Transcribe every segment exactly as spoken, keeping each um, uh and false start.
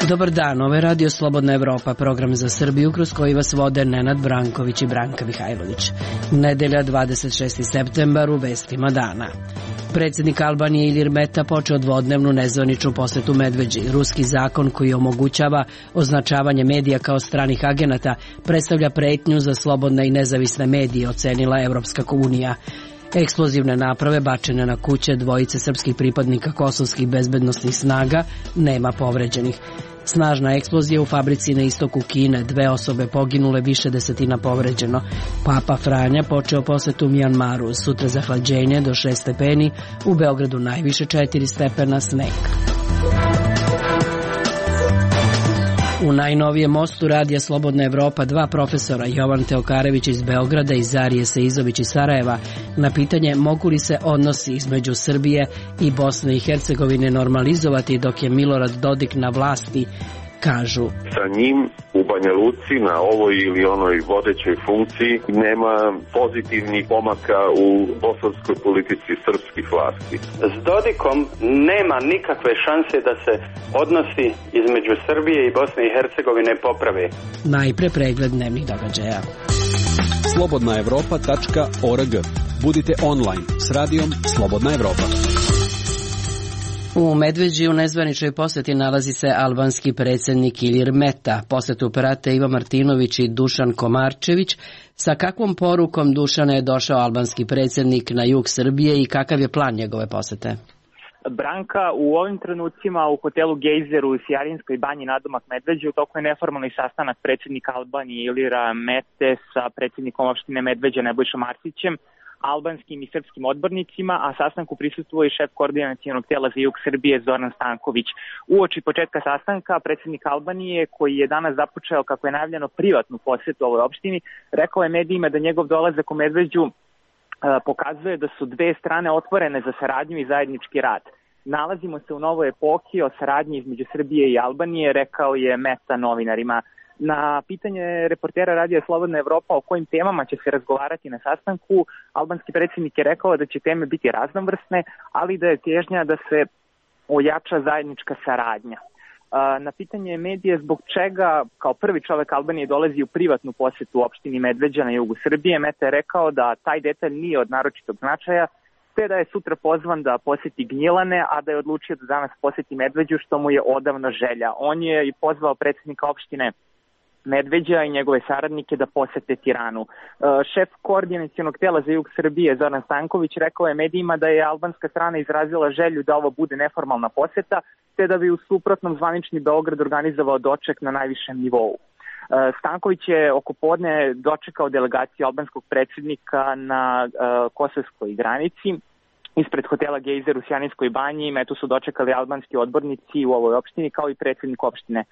Dobar dan, ovo je Radio Slobodna Evropa, program za Srbiju kroz koji vas vode Nenad Branković i Branka Mihajlović. Nedelja dvadeset šesti septembar u vestima dana. Predsjednik Albanije Ilir Meta počeo dvodnevnu nezvaničnu posetu Medveđi. Ruski zakon koji omogućava označavanje medija kao stranih agenata predstavlja pretnju za slobodne i nezavisne medije, ocenila Evropska unija. Eksplozivne naprave bačene na kuće dvojice srpskih pripadnika kosovskih bezbednosnih snaga, nema povređenih. Snažna eksplozija u fabrici na istoku Kine, dve osobe poginule, više desetina povređeno. Papa Franja počeo posetu Mjanmaru, sutra zahlađenje do šest stepeni, u Beogradu najviše četiri stepena, sneg. U najnovijem mostu Radija Slobodna Evropa dva profesora, Jovan Teokarević iz Beograda i Zarije Seizović iz Sarajeva, na pitanje mogu li se odnosi između Srbije i Bosne i Hercegovine normalizovati dok je Milorad Dodik na vlasti, kažu: Sa njim u Banja Luci na ovoj ili onoj vodećoj funkciji nema pozitivnih pomaka u bosanskoj politici srpskih vlasti. S Dodikom nema nikakve šanse da se odnosi između Srbije i Bosne i Hercegovine poprave. Najpre pregled dnevnih događaja. slobodna evropa tačka org. Budite online s radijom Slobodna Evropa. U Medveđi u nezvaničnoj poseti nalazi se albanski predsjednik Ilir Meta. Posetu prate Ivo Martinović i Dušan Komarčević. Sa kakvom porukom, Dušane, je došao albanski predsjednik na jug Srbije i kakav je plan njegove posete? Branka, u ovim trenucima u hotelu Gejzer u Sijarinskoj banji nadomak Medveđe u toku je neformalni sastanak predsjednika Albanije Ilira Mete sa predsjednikom opštine Medveđa Nebojšom Arsićem, albanskim i srpskim odbornicima, a sastanku prisustvuje i šef koordinacionog tela za jug Srbije Zoran Stanković. Uoči početka sastanka predsjednik Albanije, koji je danas započeo, kako je najavljeno, privatnu posjetu ovoj opštini, rekao je medijima da njegov dolazak u Medveđu e, pokazuje da su dve strane otvorene za saradnju i zajednički rad. Nalazimo se u novoj epohi o saradnji između Srbije i Albanije, rekao je Meta novinarima. Na pitanje reportera Radija Slobodna Evropa o kojim temama će se razgovarati na sastanku, albanski predsjednik je rekao da će teme biti raznovrsne, ali da je težnja da se ojača zajednička saradnja. Na pitanje medije zbog čega kao prvi čovjek Albanije dolazi u privatnu posjetu opštini Medveđa na jugu Srbije, Meta je rekao da taj detalj nije od naročitog značaja, te da je sutra pozvan da posjeti Gnjilane, a da je odlučio da danas posjeti Medveđu, što mu je odavno želja. On je i pozvao predsjednika opštine Medveđa i njegove saradnike da posete Tiranu. Šef koordinacionog tela za jug Srbije Zoran Stanković rekao je medijima da je albanska strana izrazila želju da ovo bude neformalna poseta, te da bi u suprotnom zvanični Beograd organizovao doček na najvišem nivou. Stanković je oko podne dočekao delegaciju albanskog predsjednika na uh, kosovskoj granici. Ispred hotela Gejzer u Sijarinskoj banji Metu su dočekali albanski odbornici u ovoj opštini, kao i predsjednik opštine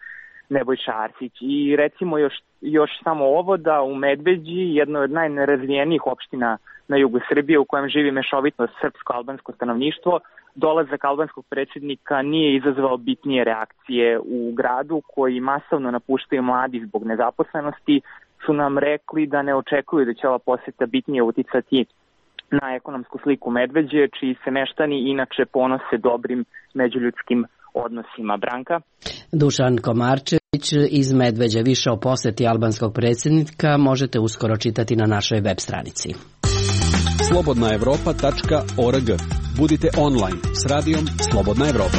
Nebojša Arsić. I recimo još, još samo ovo, da u Medveđi, jednoj od najnerazvijenijih opština na jugu Srbije, u kojem živi mešovito srpsko-albansko stanovništvo, dolazak albanskog predsjednika nije izazvao bitnije reakcije. U gradu, koji masovno napuštaju mladi zbog nezaposlenosti, su nam rekli da ne očekuju da će ova posjeta bitnije uticati na ekonomsku sliku Medveđe, čiji se meštani inače ponose dobrim međuljudskim odnosima. Branka? Dušan Komarčević iz Medveđe. Više o posjeti albanskog predsjednika možete uskoro čitati na našoj web stranici. slobodna evropa tačka org. Budite online s radijom Slobodna Evropa.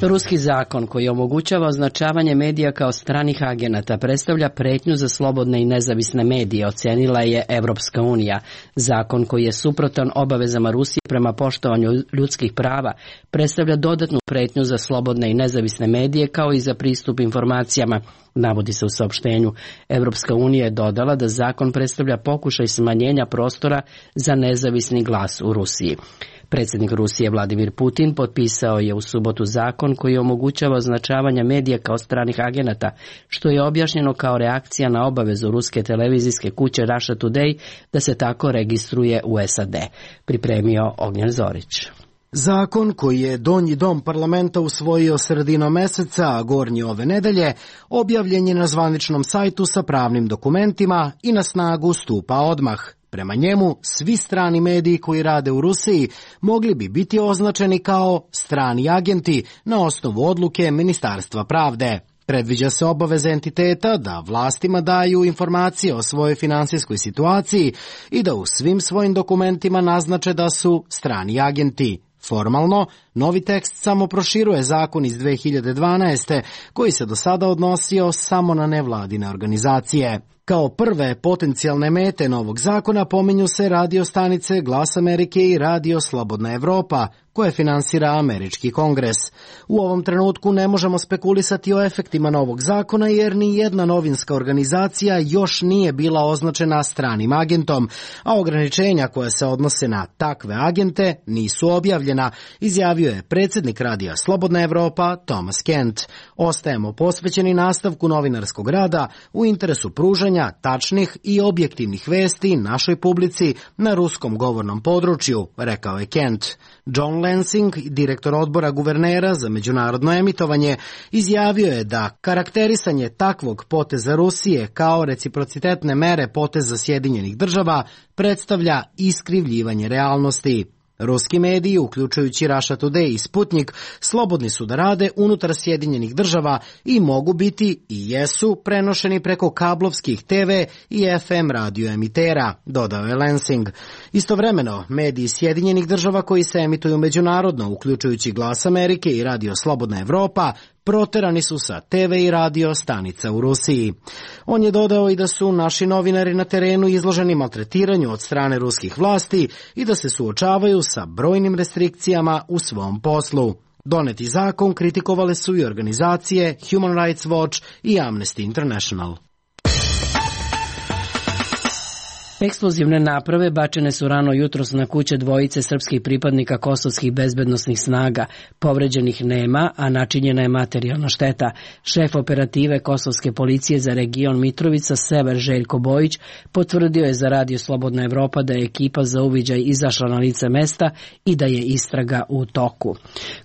Ruski zakon koji omogućava označavanje medija kao stranih agenata predstavlja pretnju za slobodne i nezavisne medije, ocenila je Evropska unija. Zakon koji je suprotan obavezama Rusije prema poštovanju ljudskih prava predstavlja dodatnu pretnju za slobodne i nezavisne medije kao i za pristup informacijama, navodi se u saopštenju. Evropska unija je dodala da zakon predstavlja pokušaj smanjenja prostora za nezavisni glas u Rusiji. Predsjednik Rusije Vladimir Putin potpisao je u subotu zakon koji omogućava označavanje medija kao stranih agenata, što je objašnjeno kao reakcija na obavezu ruske televizijske kuće Russia Today da se tako registruje u S A D. Pripremio Ognjen Zorić. Zakon koji je donji dom parlamenta usvojio sredinom meseca, a gornji ove nedelje, objavljen je na zvaničnom sajtu sa pravnim dokumentima i na snagu stupa odmah. Prema njemu, svi strani mediji koji rade u Rusiji mogli bi biti označeni kao strani agenti na osnovu odluke Ministarstva pravde. Predviđa se obaveza entiteta da vlastima daju informacije o svojoj finansijskoj situaciji i da u svim svojim dokumentima naznače da su strani agenti. Formalno, novi tekst samo proširuje zakon iz dve hiljade dvanaeste. koji se do sada odnosio samo na nevladine organizacije. Kao prve potencijalne mete novog zakona pominju se radio stanice Glas Amerike i Radio Slobodna Evropa, koje finansira Američki kongres. U ovom trenutku ne možemo spekulisati o efektima novog zakona jer ni jedna novinska organizacija još nije bila označena stranim agentom, a ograničenja koja se odnose na takve agente nisu objavljena, izjavio je predsjednik Radija Slobodna Evropa Thomas Kent. Ostajemo posvećeni nastavku novinarskog rada u interesu pružanja tačnih i objektivnih vesti našoj publici na ruskom govornom području, rekao je Kent. John Lansing, direktor odbora guvernera za međunarodno emitovanje, izjavio je da karakterisanje takvog poteza Rusije kao reciprocitetne mere poteza Sjedinjenih država predstavlja iskrivljivanje realnosti. Ruski mediji, uključujući Russia Today i Sputnik, slobodni su da rade unutar Sjedinjenih država i mogu biti i jesu prenošeni preko kablovskih te ve i ef em radio emitera, dodao je Lansing. Istovremeno, mediji Sjedinjenih država koji se emituju međunarodno, uključujući Glas Amerike i Radio Slobodna Evropa, proterani su sa te ve i radio stanica u Rusiji. On je dodao i da su naši novinari na terenu izloženi maltretiranju od strane ruskih vlasti i da se suočavaju sa brojnim restrikcijama u svom poslu. Doneti zakon kritikovale su i organizacije Human Rights Watch i Amnesty International. Eksplozivne naprave bačene su rano jutros na kuće dvojice srpskih pripadnika kosovskih bezbednosnih snaga. Povređenih nema, a načinjena je materijalna šteta. Šef operative kosovske policije za region Mitrovica, Sever Željko Bojić, potvrdio je za Radio Slobodna Evropa da je ekipa za uviđaj izašla na lice mesta i da je istraga u toku.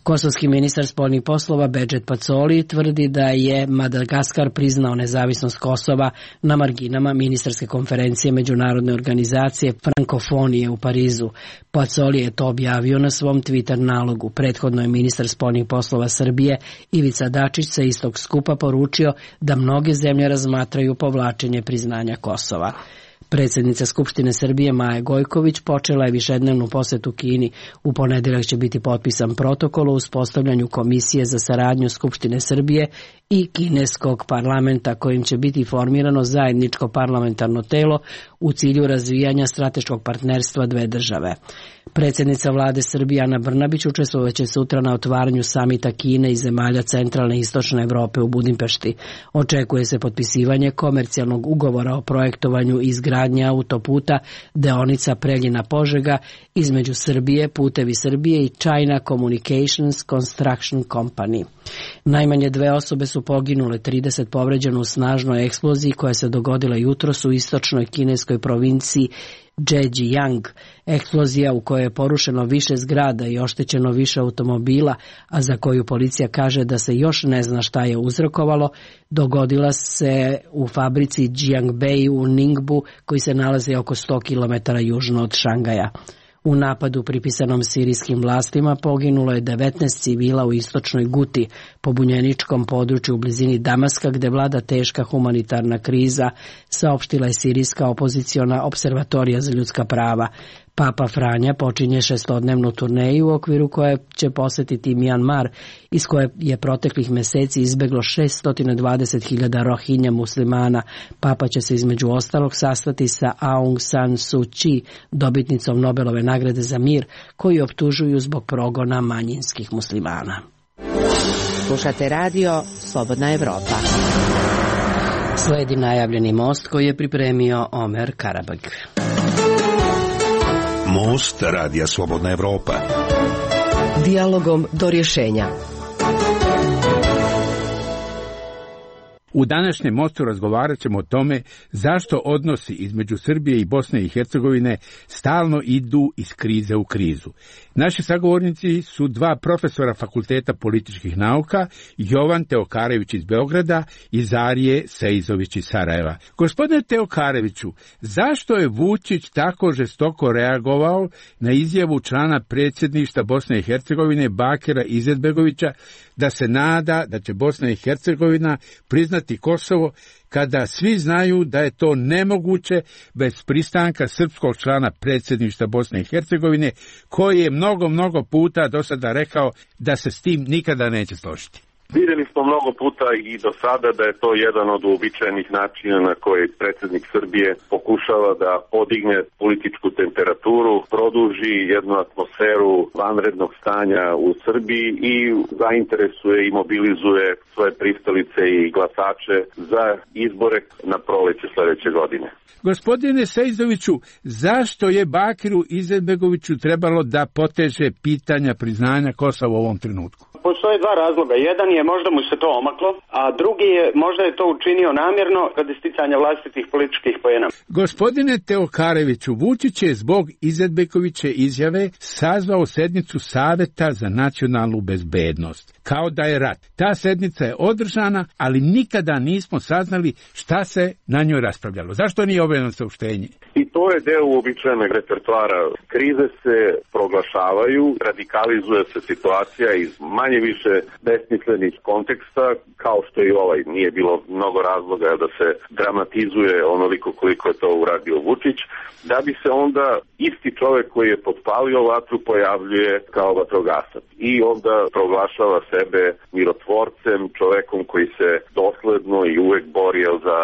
Kosovski ministar spoljnih poslova Bedžet Pacoli tvrdi da je Madagaskar priznao nezavisnost Kosova na marginama ministarske konferencije međunarodne organizacije Frankofonije u Parizu. Pacoli je to objavio na svom Twitter nalogu. Prethodno je ministar spoljnih poslova Srbije Ivica Dačić sa istog skupa poručio da mnoge zemlje razmatraju povlačenje priznanja Kosova. Predsjednica Skupštine Srbije Maja Gojković počela je višednevnu posetu Kini. U ponedeljak će biti potpisan protokol o uspostavljanju Komisije za saradnju Skupštine Srbije i kineskog parlamenta, kojim će biti formirano zajedničko parlamentarno telo u cilju razvijanja strateškog partnerstva dve države. Predsjednica vlade Srbije Ana Brnabić učestvovaće sutra na otvaranju samita Kine i zemalja centralne i istočne Evrope u Budimpešti. Očekuje se potpisivanje komercijalnog ugovora o projektovanju i izgradnje autoputa deonica Preljina-Požega između Srbije, Putevi Srbije i China Communications Construction Company. Najmanje dve osobe su poginule, trideset povređeno u snažnoj eksploziji koja se dogodila jutros u istočnoj kineskoj provinciji Zhejiang. Eksplozija u kojoj je porušeno više zgrada i oštećeno više automobila, a za koju policija kaže da se još ne zna šta je uzrokovalo, dogodila se u fabrici Jiangbei u Ningbu, koji se nalazi oko sto kilometara južno od Šangaja. U napadu pripisanom sirijskim vlastima poginulo je devetnaest civila u istočnoj Guti, pobunjeničkom području u blizini Damaska, gde vlada teška humanitarna kriza, saopštila je sirijska opoziciona observatorija za ljudska prava. Papa Franja počinje šestodnevnu turneju u okviru koje će posetiti Mjanmar, iz koje je proteklih meseci izbeglo šesto dvadeset hiljada Rohinja muslimana. Papa će se između ostalog sastati sa Aung San Suu Kyi, dobitnicom Nobelove nagrade za mir, koju optužuju zbog progona manjinskih muslimana. Slušate radio Slobodna Evropa. Sledi najavljeni most koji je pripremio Omer Karabag. Most Radija Slobodna Evropa. Dijalogom do rješenja. U današnjem mostu razgovarat ćemo o tome zašto odnosi između Srbije i Bosne i Hercegovine stalno idu iz krize u krizu. Naši sagovornici su dva profesora Fakulteta političkih nauka, Jovan Teokarević iz Beograda i Zarije Seizović iz Sarajeva. Gospodine Teokareviću, zašto je Vučić tako žestoko reagovao na izjavu člana predsjedništva Bosne i Hercegovine Bakira Izetbegovića da se nada da će Bosna i Hercegovina priznati Kosovo, kada svi znaju da je to nemoguće bez pristanka srpskog člana predsjedništva Bosne i Hercegovine, koji je mnogo, mnogo puta do sada rekao da se s tim nikada neće složiti? Vidjeli smo mnogo puta i do sada da je to jedan od uobičajenih načina na koji predsjednik Srbije pokušava da podigne političku temperaturu, produži jednu atmosferu vanrednog stanja u Srbiji i zainteresuje i mobilizuje svoje pristalice i glasače za izbore na proleće sljedeće godine. Gospodine Seizoviću, zašto je Bakiru Izetbegoviću trebalo da poteže pitanja priznanja Kosova u ovom trenutku? Postoje dva razloga. Jedan je možda mu se to omaklo, a drugi je možda je to učinio namjerno radi sticanja vlastitih političkih poena. Gospodine Teokareviću, Vučić je zbog Izetbegoviće izjave sazvao sednicu Saveta za nacionalnu bezbednost. Kao da je rat. Ta sednica je održana, ali nikada nismo saznali šta se na njoj raspravljalo. Zašto nije objavljeno saopštenje? I to je deo uobičajenog repertoara. Krize se proglašavaju, radikalizuje se situacija iz manje više besmislenih konteksta, kao što i ovaj. Nije bilo mnogo razloga da se dramatizuje onoliko koliko je to uradio Vučić, da bi se onda isti čovjek koji je potpalio vatru pojavljuje kao vatrogasac. I onda proglašava sebe mirotvorcem, čovjekom koji se dosledno i uvek borio za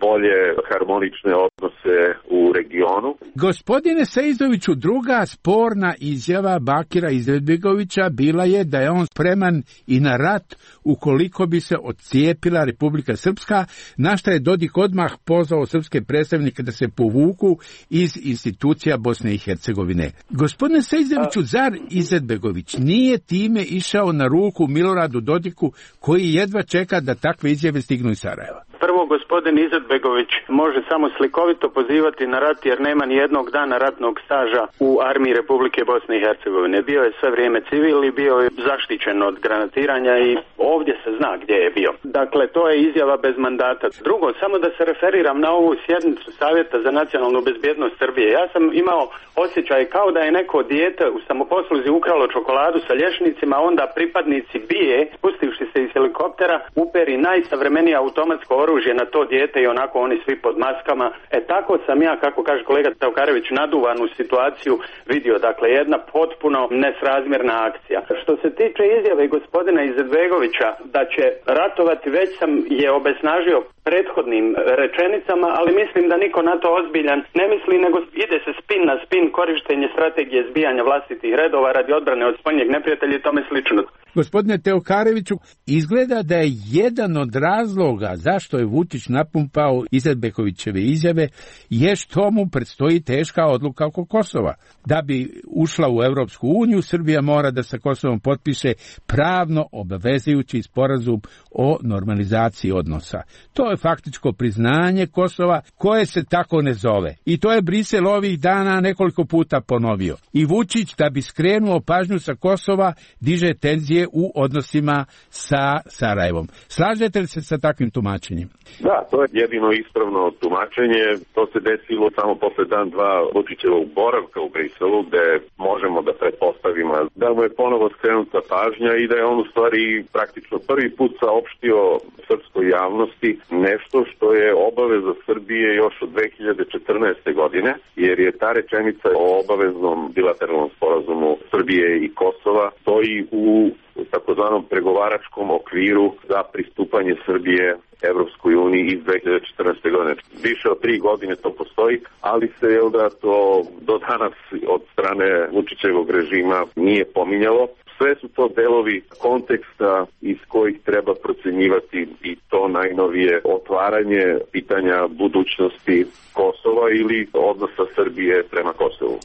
bolje harmonične odnose u regionu. Gospodine Seizoviću, druga sporna izjava Bakira Izetbegovića bila je da je on spreman i na rat ukoliko bi se odcijepila Republika Srpska, na šta je Dodik odmah pozvao srpske predstavnike da se povuku iz institucija Bosne i Hercegovine. Gospodine Seizoviću, zar Izetbegović nije time išao na ruku Miloradu Dodiku, koji jedva čeka da takve izjave stignu iz Sarajeva? Prvo, gospodin Izetbegović može samo slikovito pozivati na rat jer nema ni jednog dana ratnog staža u armiji Republike Bosne i Hercegovine. Bio je sve vrijeme civil i bio je zaštićen od granatiranja i ovdje se zna gdje je bio. Dakle, to je izjava bez mandata. Drugo, samo da se referiram na ovu sjednicu Savjeta za nacionalnu bezbjednost Srbije. Ja sam imao osjećaj kao da je neko dijete u samoposluzi ukralo čokoladu sa lješnicima, onda pripadnici bije, spustivši se iz helikoptera, uperi najsavremenije automatsko oružje na to dijete i onako oni svi pod maskama. E tako sam ja, kako kaže kolega Teokarević, naduvanu situaciju vidio. Dakle, jedna potpuno nesrazmjerna akcija. Što se tiče izjave gospodina Izetbegovića da će ratovati, već sam je obesnažio prethodnim rečenicama, ali mislim da niko na to ozbiljan ne misli, nego ide se spin na spin, korištenje strategije zbijanja vlastitih redova radi odbrane od spoljnjeg neprijatelja i tome slično. Gospodine Teokareviću, izgleda da je jedan od razloga zašto je Vučić napumpao Izetbegovićeve izjave je što mu predstoji teška odluka oko Kosova. Da bi ušla u Europsku uniju, Srbija mora da sa Kosovom potpiše pravno obavezujući sporazum o normalizaciji odnosa. To je faktičko priznanje Kosova koje se tako ne zove. I to je Brisel ovih dana nekoliko puta ponovio. I Vučić, da bi skrenuo pažnju sa Kosova, diže tenzije u odnosima sa Sarajevom. Slažete li se sa takvim tumačenjem? Da, to je jedino ispravno tumačenje. To se desilo samo posle dan dva Vučićevog boravka u Briselu, gde možemo da pretpostavimo da mu je ponovo skrenuta pažnja i da je on u stvari praktično prvi put saopštio srpskoj javnosti nešto što je obaveza Srbije još od dve hiljade četrnaeste. godine, jer je ta rečenica o obaveznom bilateralnom sporazumu Srbije i Kosova stoji u takozvanom pregovaračkom okviru za pristupanje Srbije Evropskoj uniji iz dve hiljade četrnaeste. godine. Više od tri godine to postoji, ali se je da to do danas od strane Vučićevog režima nije pominjalo. Sve su to delovi konteksta iz kojih treba procenjivati i to najnovije otvaranje pitanja budućnosti Kosova ili odnosa Srbije prema Kosovu.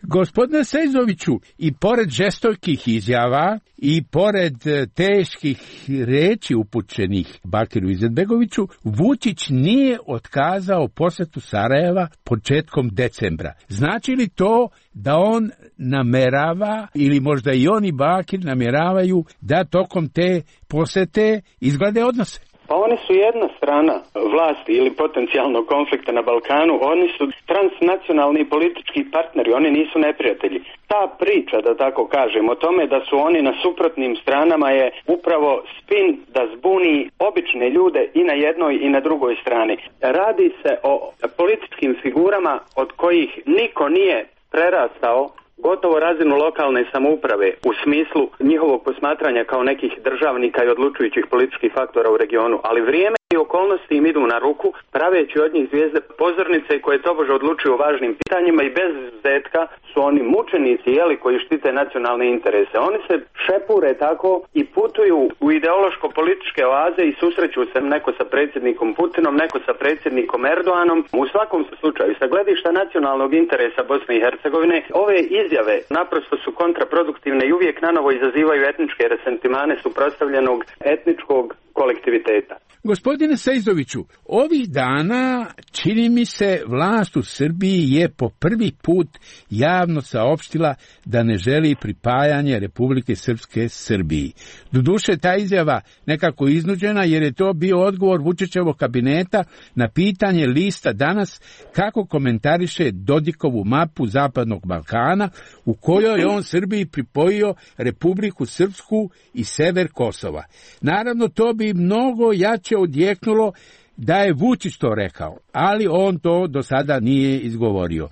Gospodine Sejzoviću, i pored žestokih izjava i pored teških reči upućenih Bakiru Izetbegoviću, Vučić nije otkazao posetu Sarajeva početkom decembra. Znači li to da on namerava, ili možda i on i Bakir nameravaju da tokom te posete izglede odnose? Pa oni su jedna strana vlasti ili potencijalnog konflikta na Balkanu, oni su transnacionalni politički partneri, oni nisu neprijatelji. Ta priča, da tako kažem, o tome da su oni na suprotnim stranama je upravo spin da zbuni obične ljude i na jednoj i na drugoj strani. Radi se o političkim figurama od kojih niko nije prerastao gotovo razinu lokalne samouprave u smislu njihovog posmatranja kao nekih državnika i odlučujućih političkih faktora u regionu, ali vrijeme i okolnosti im idu na ruku, praveći od njih zvijezde pozornice koje tobože odlučuju o važnim pitanjima i bez izuzetka su oni mučenici, jeli, koji štite nacionalne interese. Oni se šepure tako i putuju u ideološko-političke oaze i susreću se neko sa predsjednikom Putinom, neko sa predsjednikom Erdoganom. U svakom slučaju, sa gledišta nacionalnog interesa Bosne i Hercegovine, ove izjave naprosto su kontraproduktivne i uvijek nanovo izazivaju etničke resentimane suprotstavljenog etničkog kolektiviteta. Gospodine Sejzoviću, ovih dana čini mi se vlast u Srbiji je po prvi put javno saopštila da ne želi pripajanje Republike Srpske Srbiji. Doduše, ta izjava nekako iznuđena jer je to bio odgovor Vučićevog kabineta na pitanje lista Danas kako komentariše Dodikovu mapu Zapadnog Balkana u kojoj je on Srbiji pripojio Republiku Srpsku i sever Kosova. Naravno, to bi mnogo jače odjeknulo da je Vučić to rekao, ali on to do sada nije izgovorio.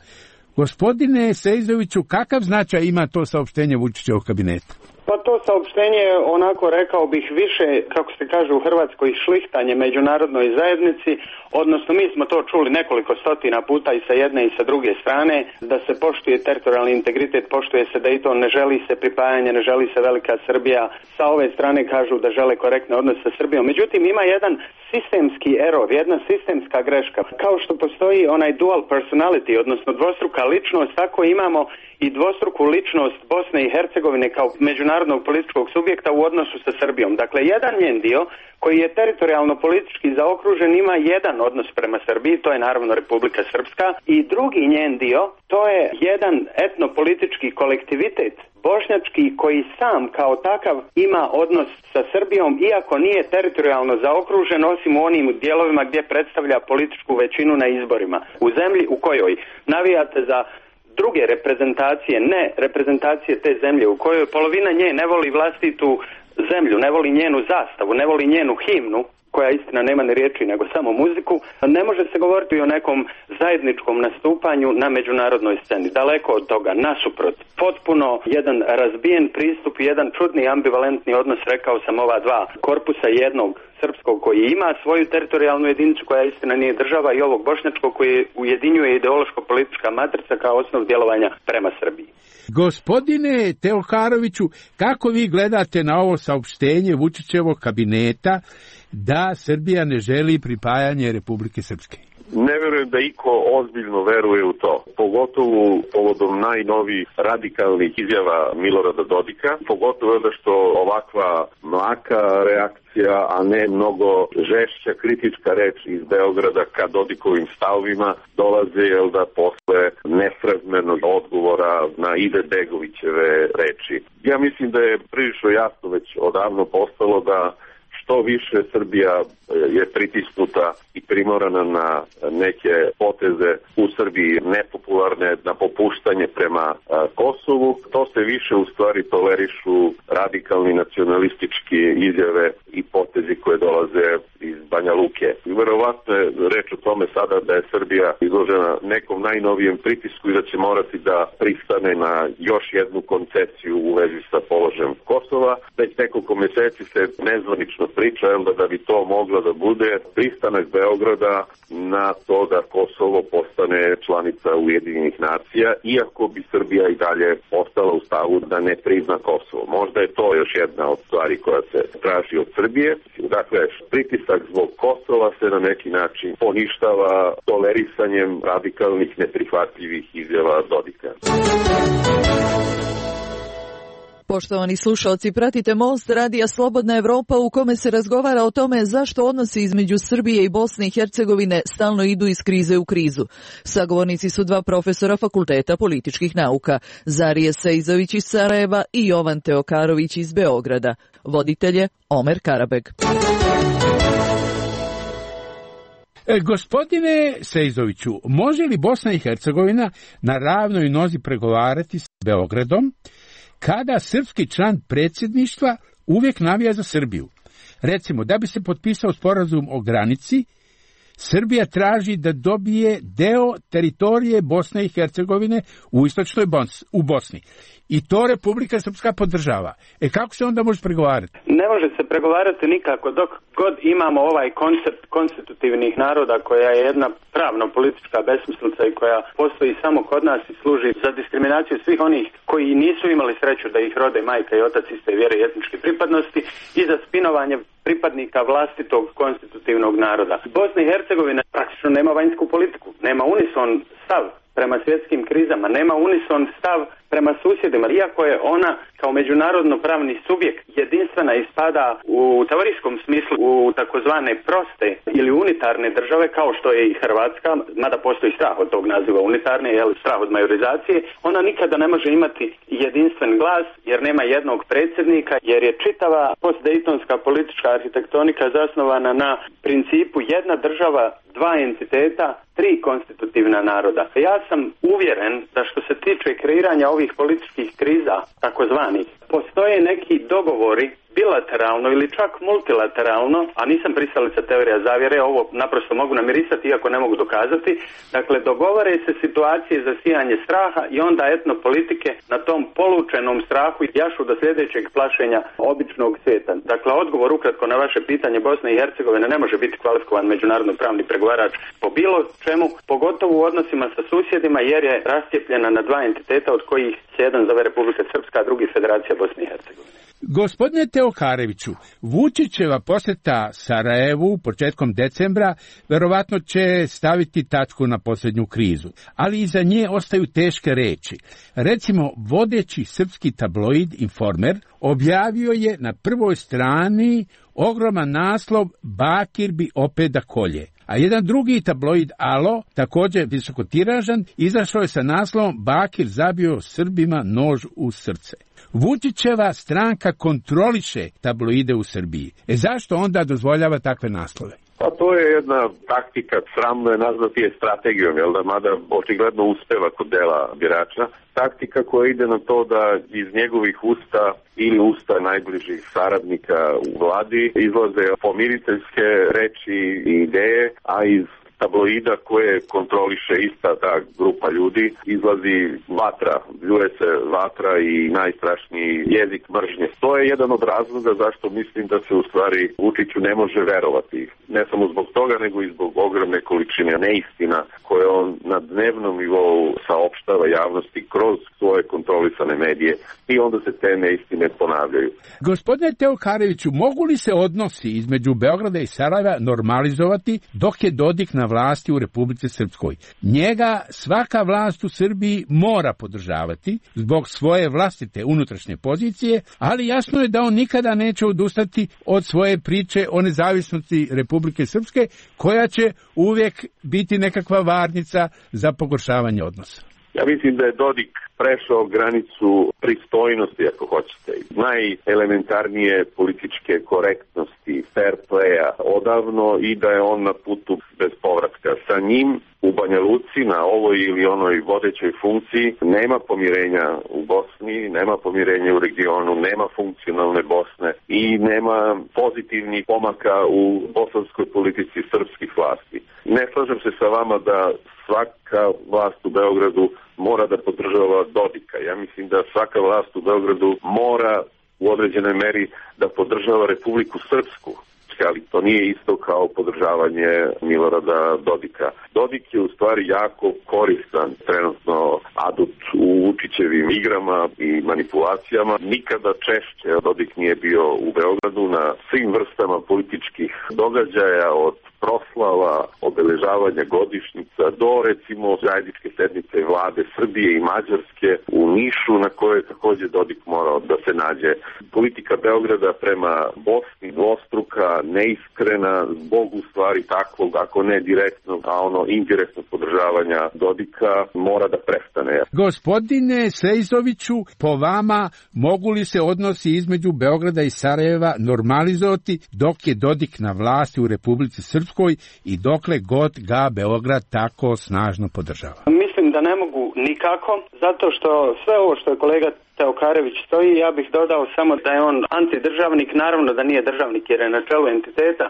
Gospodine Sejzoviću, kakav značaj ima to saopštenje Vučićevog kabineta? Pa to saopštenje je, onako rekao bih, više, kako se kaže u Hrvatskoj, šlihtanje međunarodnoj zajednici, odnosno mi smo to čuli nekoliko stotina puta i sa jedne i sa druge strane, da se poštuje teritorijalni integritet, poštuje se Dayton, ne želi se pripajanje, ne želi se Velika Srbija. Sa ove strane kažu da žele korektne odnose sa Srbijom. Međutim, ima jedan sistemski error, jedna sistemska greška. Kao što postoji onaj dual personality, odnosno dvostruka ličnost, tako imamo i dvostruku ličnost Bosne i Hercegovine kao međunarodnog političkog subjekta u odnosu sa Srbijom. Dakle, jedan njen dio koji je teritorijalno politički zaokružen ima jedan odnos prema Srbiji, to je naravno Republika Srpska, i drugi njen dio, to je jedan etnopolitički kolektivitet bošnjački koji sam kao takav ima odnos sa Srbijom, iako nije teritorijalno zaokružen, osim u onim dijelovima gdje predstavlja političku većinu na izborima. U zemlji u kojoj navijate za druge reprezentacije, ne reprezentacije te zemlje, u kojoj polovina nje ne voli vlastitu zemlju, ne voli njenu zastavu, ne voli njenu himnu, koja istina nema ni riječi nego samo muziku, ne može se govoriti o nekom zajedničkom nastupanju na međunarodnoj sceni. Daleko od toga, nasuprot, potpuno jedan razbijen pristup, jedan čudni ambivalentni odnos, rekao sam, ova dva korpusa, jednog srpskog koji ima svoju teritorijalnu jedinicu koja istina nije država i ovog bošnjačkog koji ujedinjuje ideološko-politička matrica kao osnov djelovanja prema Srbiji. Gospodine Teoharoviću, kako vi gledate na ovo saopštenje Vučićevog kabineta da Srbija ne želi pripajanje Republike Srpske? Ne verujem da iko ozbiljno veruje u to, pogotovo povodom najnovijih radikalnih izjava Milorada Dodika, pogotovo da što ovakva mlaka reakcija, a ne mnogo žešća kritička reč iz Beograda ka Dodikovim stavovima dolaze, jel da, posle nesrazmernog odgovora na Izetbegovićeve reči. Ja mislim da je prilično jasno već odavno postalo da što više Srbija je pritisnuta i primorana na neke poteze u Srbiji nepopularne, na popuštanje prema Kosovu, to se više u stvari tolerišu radikalni nacionalistički izjave i potezi koje dolaze iz Banja Luke. Verovatno je reč o tome sada da je Srbija izložena nekom najnovijem pritisku i da će morati da pristane na još jednu koncesiju u vezi sa položajem Kosova. Već nekoliko meseci se nezvanično priča da, da bi to moglo da bude pristanak Beograda na to da Kosovo postane članica Ujedinjenih nacija, iako bi Srbija i dalje ostala u stavu da ne prizna Kosovo. Možda je to još jedna od stvari koja se traži od Srbije. Dakle, pritisak zbog Kosova se na neki način poništava tolerisanjem radikalnih, neprihvatljivih izjava Dodika. Poštovani slušalci, pratite Most radija Slobodna Evropa u kome se razgovara o tome zašto odnosi između Srbije i Bosne i Hercegovine stalno idu iz krize u krizu. Sagovornici su dva profesora Fakulteta političkih nauka, Zarije Sejzović iz Sarajeva i Jovan Teokarović iz Beograda. Voditelj je Omer Karabeg. E, gospodine Sejzoviću, može li Bosna i Hercegovina na ravnoj nozi pregovarati s Beogradom kada srpski član predsjedništva uvijek navija za Srbiju? Recimo, da bi se potpisao sporazum o granici, Srbija traži da dobije deo teritorije Bosne i Hercegovine u istočnoj Bos- u Bosni. I to Republika Srpska podržava. E kako se onda može pregovarati? Ne može se pregovarati nikako dok god imamo ovaj koncept konstitutivnih naroda, koja je jedna pravno-politička besmislica i koja postoji samo kod nas i služi za diskriminaciju svih onih koji nisu imali sreću da ih rode majka i otac iste vjere i etničke pripadnosti i za spinovanje pripadnika vlastitog konstitutivnog naroda. Bosna i Hercegovina praktično nema vanjsku politiku, nema unison stav prema svjetskim krizama, nema unison stav prema susjedima, iako je ona kao međunarodno pravni subjekt jedinstvena i spada u teorijskom smislu u takozvane proste ili unitarne države, kao što je i Hrvatska, mada postoji strah od tog naziva unitarne, jel, strah od majorizacije, ona nikada ne može imati jedinstven glas jer nema jednog predsjednika, jer je čitava postdejtonska politička arhitektonika zasnovana na principu jedna država, dva entiteta, tri konstitutivna naroda. Ja sam uvjeren da što se tiče kreiranja ovih političkih kriza, takozvanih, postoje neki dogovori bilateralno ili čak multilateralno, a nisam pristalica teorija zavjere, ovo naprosto mogu namirisati iako ne mogu dokazati. Dakle, dogovore se situacije za sijanje straha i onda etnopolitike na tom polučenom strahu jašu do sljedećeg plašenja običnog svijeta. Dakle, odgovor ukratko na vaše pitanje, Bosna i Hercegovina ne može biti kvalifikovan međunarodno pravni pregovarač po bilo čemu, pogotovo u odnosima sa susjedima, jer je rascijepljena na dva entiteta od kojih se jedan zove Republika Srpska, a drugi Federacija Bosne i Hercegovine. Gospodine Teokareviću, Vučićeva posjeta Sarajevu početkom decembra verovatno će staviti tačku na posljednju krizu, ali iza nje ostaju teške reči. Recimo, vodeći srpski tabloid Informer objavio je na prvoj strani ogroman naslov Bakir bi opet da kolje. A jedan drugi tabloid Alo, također visokotiražan, izašao je sa naslovom Bakir zabio Srbima nož u srce. Vučićeva stranka kontroliše tabloide u Srbiji. E zašto onda dozvoljava takve naslove? Pa to je jedna taktika, sramno je nazvati je strategijom, jel da, mada očigledno uspeva kod dela birača. Taktika koja ide na to da iz njegovih usta ili usta najbližih saradnika u vladi izlaze pomiriteljske reči i ideje, a iz tabloida koje kontroliše ista ta grupa ljudi izlazi vatra, bljuje se vatra i najstrašniji jezik mržnje. To je jedan od razloga zašto mislim da se u stvari Vučiću ne može verovati. Ne samo zbog toga, nego i zbog ogromne količine neistina koje on na dnevnom nivou saopštava javnosti kroz svoje kontrolisane medije i onda se te neistine ponavljaju. Gospodine Teokareviću, mogu li se odnosi između Beograda i Sarajeva normalizovati dok je Dodik na vlasti u Republici Srpskoj? Njega svaka vlast u Srbiji mora podržavati zbog svoje vlastite unutrašnje pozicije, ali jasno je da on nikada neće odustati od svoje priče o nezavisnosti Republike Srpske, koja će uvijek biti nekakva varnica za pogoršavanje odnosa. Ja mislim da je Dodik prešao granicu pristojnosti, ako hoćete, najelementarnije političke korektnosti, fair playa odavno i da je on na putu bez povratka. Sa njim u Banja Luci na ovoj ili onoj vodećoj funkciji nema pomirenja u Bosni, nema pomirenja u regionu, nema funkcionalne Bosne i nema pozitivnih pomaka u bosanskoj politici srpskih vlasti. Ne slažem se sa vama da svaka vlast u Beogradu mora da podržava Dodika. Ja mislim da svaka vlast u Beogradu mora u određenoj meri da podržava Republiku Srpsku. političke, ali to nije isto kao podržavanje Milorada Dodika. Dodik je u stvari jako koristan trenutno adut u Vučićevim igrama i manipulacijama. Nikada češće Dodik nije bio u Beogradu na svim vrstama političkih događaja, od proslava, obeležavanja godišnjica do recimo zajedničke sednice vlade Srbije i Mađarske u Nišu, na kojoj je takođe Dodik morao da se nađe. Politika Beograda prema Bosni dvostruka, neiskrena, zbog u stvari takvog, ako ne direktnog, a ono indirektnog podržavanja Dodika mora da prestane. Gospodine Sejzoviću, po vama mogu li se odnosi između Beograda i Sarajeva normalizovati dok je Dodik na vlasti u Republici Srpskoj i dokle god ga Beograd tako snažno podržava? Mislim da ne mogu nikako, zato što sve ovo što je kolega Teokarević stoji, ja bih dodao samo da je on antidržavnik, naravno da nije državnik jer je na čelu entiteta.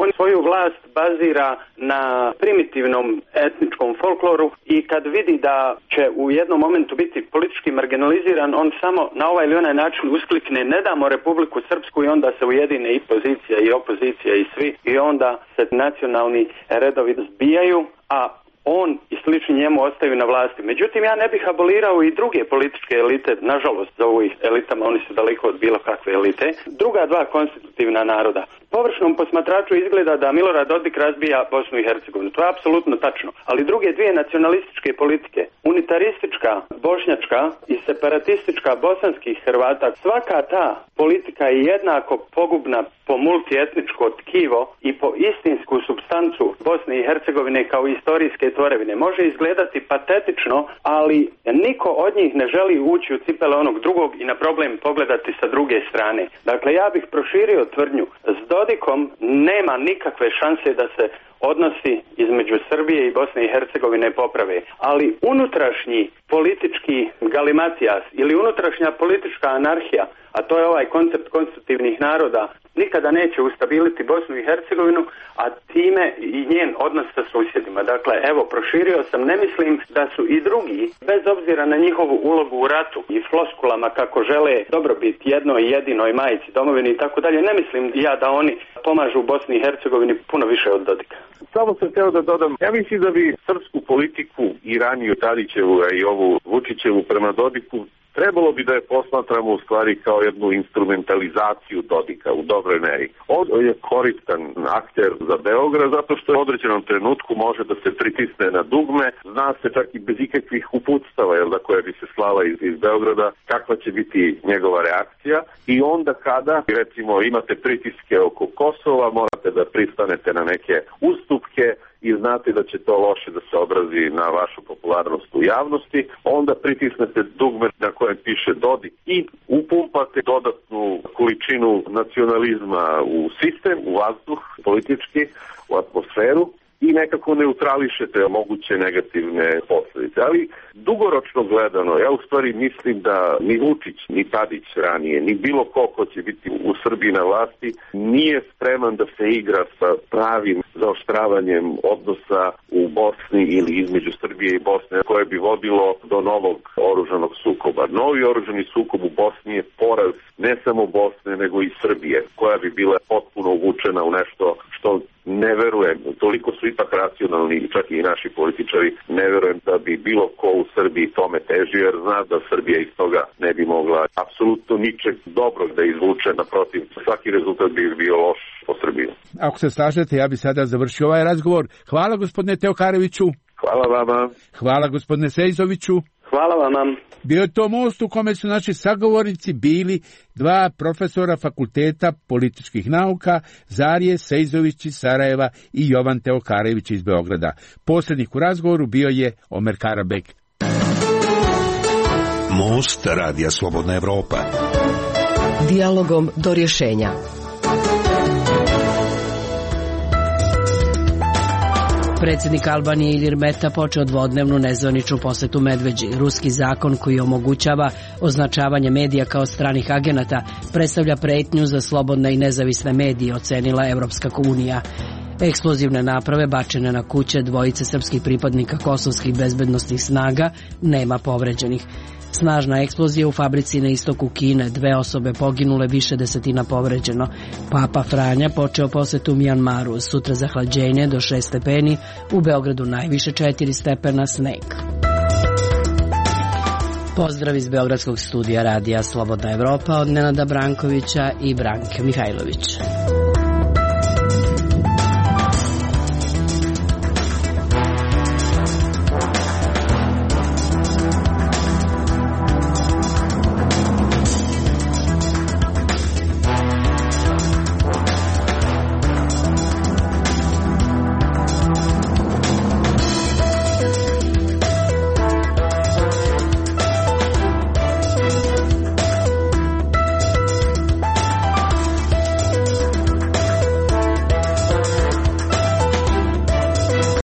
On svoju vlast bazira na primitivnom etničkom folkloru i kad vidi da će u jednom momentu biti politički marginaliziran, on samo na ovaj ili onaj način usklikne ne damo Republiku Srpsku i onda se ujedine i pozicija i opozicija i svi i onda se nacionalni redovi zbijaju, a on i slični njemu ostaju na vlasti. Međutim, ja ne bih abolirao i druge političke elite, nažalost zovu ih elitama, oni su daleko od bilo kakve elite, druga dva konstitutivna naroda. Površnom posmatraču izgleda da Milorad Dodik razbija Bosnu i Hercegovinu. To je apsolutno tačno. Ali druge dvije nacionalističke politike, unitaristička bošnjačka i separatistička bosanskih Hrvata, svaka ta politika je jednako pogubna po multietničko tkivo i po istinsku supstancu Bosne i Hercegovine kao istorijske tvorevine. Može izgledati patetično, ali niko od njih ne želi ući u cipele onog drugog i na problem pogledati sa druge strane. Dakle, ja bih proširio tvrdnju. S Dodikom nema nikakve šanse da se odnosi između Srbije i Bosne i Hercegovine poprave, ali unutrašnji politički galimatijas ili unutrašnja politička anarhija, a to je ovaj koncept konstitutivnih naroda, nikada neće ustabiliti Bosnu i Hercegovinu, a time i njen odnos sa susjedima. Dakle, evo, proširio sam, ne mislim da su i drugi, bez obzira na njihovu ulogu u ratu i floskulama kako žele dobrobit jednoj jedinoj majici domovini i tako dalje, ne mislim ja da oni pomažu Bosni i Hercegovini puno više od Dodika. Samo sam hteo da dodam, ja mislim da bi srpsku politiku i raniju Tadićevu, a i ovu Vučićevu prema Dodiku trebalo bi da je posmatramo u stvari kao jednu instrumentalizaciju Dodika u dobroj meri. On je koristan akter za Beograd zato što u određenom trenutku može da se pritisne na dugme, zna se čak i bez ikakvih uputstava, jel da, koje bi se slala iz, iz Beograda, kakva će biti njegova reakcija i onda kada, recimo, imate pritiske oko Kosova, morate da pristanete na neke ustupke i znate da će to loše da se odrazi na vašu popularnost u javnosti, onda pritisnete dugme na kojem piše Dodik i upumpate dodatnu količinu nacionalizma u sistem, u vazduh politički, u atmosferu i nekako neutrališete moguće negativne posledice. Ali dugoročno gledano, ja u stvari mislim da ni Vučić, ni Tadić ranije, ni bilo ko ko će biti u Srbiji na vlasti, nije spreman da se igra sa pravim zaoštravanjem odnosa u Bosni ili između Srbije i Bosne, koje bi vodilo do novog oružanog sukoba. Novi oružani sukob u Bosni je poraz ne samo Bosne, nego i Srbije, koja bi bila potpuno uvučena u nešto što ne verujem, toliko su ipak racionalni, čak i naši političari, ne verujem da bi bilo ko u Srbiji tome težio, jer zna da Srbija iz toga ne bi mogla apsolutno ničeg dobrog da izvuče, naprotiv, svaki rezultat bi bio loš po Srbiju. Ako se slažete, ja bi sada završio ovaj razgovor. Hvala gospodine Teokareviću. Hvala vama. Hvala gospodine Sejzoviću. Hvala vam. Bio je to most u kome su naši sagovornici bili dva profesora fakulteta političkih nauka, Zarije Sejzović iz Sarajeva i Jovan Teokarević iz Beograda. Posrednik u razgovoru bio je Omer Karabek. Most Radija Slobodna Evropa. Dijalogom do rješenja. Predsjednik Albanije Ilir Meta počeo dvodnevnu nezvaničnu posetu Medveđi. Ruski zakon koji omogućava označavanje medija kao stranih agenata predstavlja pretnju za slobodne i nezavisne medije, ocenila Evropska unija. Eksplozivne naprave bačene na kuće dvojice srpskih pripadnika kosovskih bezbednostnih snaga, nema povređenih. Snažna eksplozija u fabrici na istoku Kine, dve osobe poginule, više desetina povređeno. Papa Franja počeo posetu Mjanmaru, sutra zahlađenje do šest stepeni, u Beogradu najviše četiri stepena, sneg. Pozdrav iz Beogradskog studija radija Slobodna Evropa od Nenada Brankovića i Branke Mihajlović.